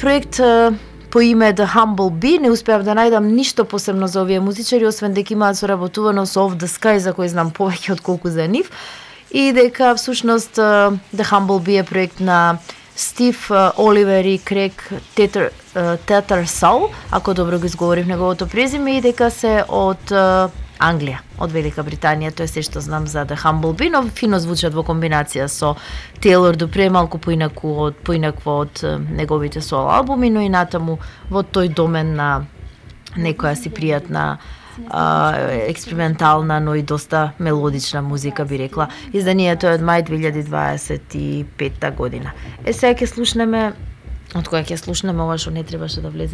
проект по име The Humble Bee. Не успеав да најдам ништо посебно за овие музичари, освен дека имаат соработувано со Off the Sky, за кој знам повеќе отколку за нив, и дека всушност The Humble Bee е проект на Стив Оливер и Крейг Татарсал, ако добро го изговорив неговото презиме, и дека се од Англија, од Велика Британија. Тоа е се што знам за The Humble Bee, но фино звучат во комбинација со Тейлор Дупре, малку поинакво од неговите соло албуми, но и натаму во тој домен на некоја си пријатна експериментална, но и доста мелодична музика, би рекла. Изданието е од мај 2025 година. Сега ќе слушнеме, од која ќе слушнеме ова што не требаше да влезе